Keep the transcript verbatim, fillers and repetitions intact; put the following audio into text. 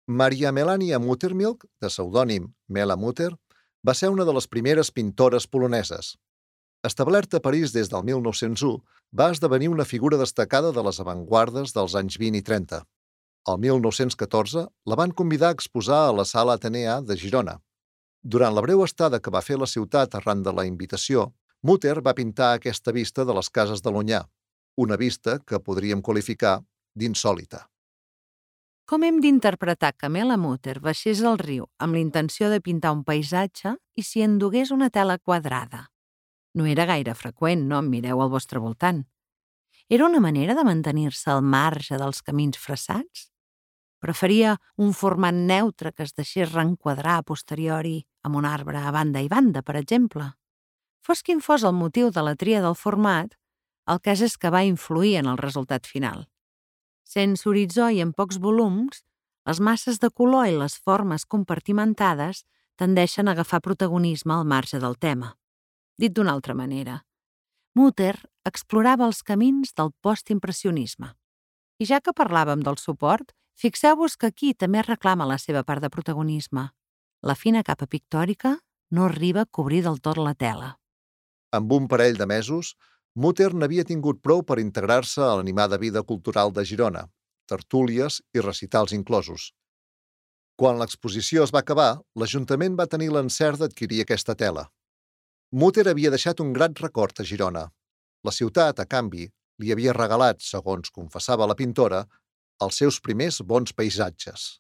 Maria Melania Muttermilk, de pseudònim Mela Mutter, va ser una de les primeres pintores poloneses. Establerta a París des del mil nou-cents u, va esdevenir una figura destacada de les avantguardes dels anys vint i trenta. El mil nou-cents catorze la van convidar a exposar a la Sala Atenea de Girona. Durant la breu estada que va fer a la ciutat arran de la invitació, Mutter va pintar aquesta vista de les cases de l'Onyar, una vista que podríem qualificar d'insòlita. Com hem d'interpretar que Mela Mutter baixés al riu amb la intenció de pintar un paisatge i s'hi endugués una tela quadrada? No era gaire freqüent, no em mireu al vostre voltant. Era una manera de mantenir-se al marge dels camins fressats? Preferia un format neutre que es deixés reenquadrar a posteriori amb un arbre a banda i banda, per exemple. Fos quin fos el motiu de la tria del format, el cas és que va influir en el resultat final. Sense horitzó i en pocs volums, les masses de color i les formes compartimentades tendeixen a agafar protagonisme al marge del tema. Dit d'una altra manera, Mutter explorava els camins del postimpressionisme. I ja que parlàvem del suport, fixeu-vos que aquí també reclama la seva part de protagonisme. La fina capa pictòrica no arriba a cobrir del tot la tela. Amb un parell de mesos, Mutter n'havia tingut prou per integrar-se a l'animada vida cultural de Girona, tertúlies i recitals inclosos. Quan l'exposició es va acabar, l'Ajuntament va tenir l'encert d'adquirir aquesta tela. Mutter havia deixat un gran record a Girona. La ciutat, a canvi, li havia regalat, segons confessava la pintora, els seus primers bons paisatges.